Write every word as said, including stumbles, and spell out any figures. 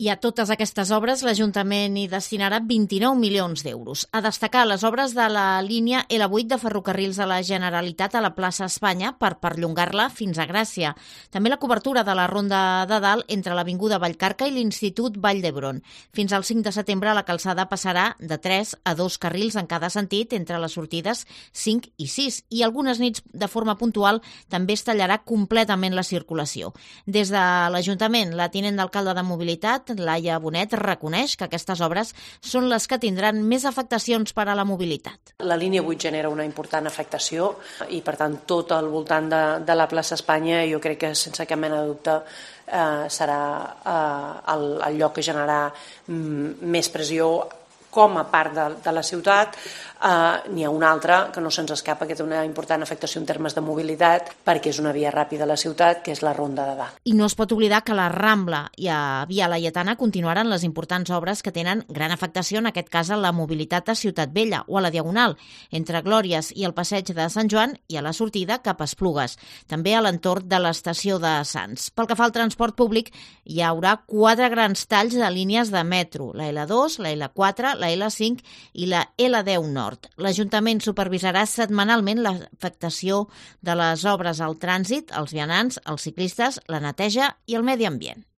I a totes aquestes obres l'Ajuntament hi destinarà vint-i-nou milions d'euros. A destacar les obres de la línia L vuit de ferrocarrils de la Generalitat a la plaça Espanya per perllongar-la fins a Gràcia. També la cobertura de la Ronda de Dalt entre l'Avinguda Vallcarca i l'Institut Vall d'Hebron. Fins al cinc de setembre la calçada passarà de tres a dos carrils en cada sentit entre les sortides cinc i sis i algunes nits de forma puntual també es tallarà completament la circulació. Des de l'Ajuntament, la tinent d'alcalde de Mobilitat, Laia Bonet, reconeix que aquestes obres són les que tindran més afectacions per a la mobilitat. La línia vuit genera una important afectació i, per tant, tot al voltant de, de la plaça Espanya jo crec que, sense cap mena de dubte, eh, serà eh, el, el lloc que generarà mm, més pressió com a part de, de la ciutat. Uh, n'hi ha una altra que no se'ns escapa, que té una important afectació en termes de mobilitat, perquè és una via ràpida a la ciutat, que és la Ronda de Dalt. I no es pot oblidar que la Rambla i a Via Laietana continuaran les importants obres que tenen gran afectació, en aquest cas a la mobilitat a Ciutat Vella o a la Diagonal, entre Glòries i el Passeig de Sant Joan i a la sortida cap a Esplugues, també a l'entorn de l'estació de Sants. Pel que fa al transport públic, hi haurà quatre grans talls de línies de metro, la L dos, la L quatre, la L cinc i la L deu Nord. L'Ajuntament supervisarà setmanalment l'afectació de les obres al trànsit, als vianants, als ciclistes, la neteja i el medi ambient.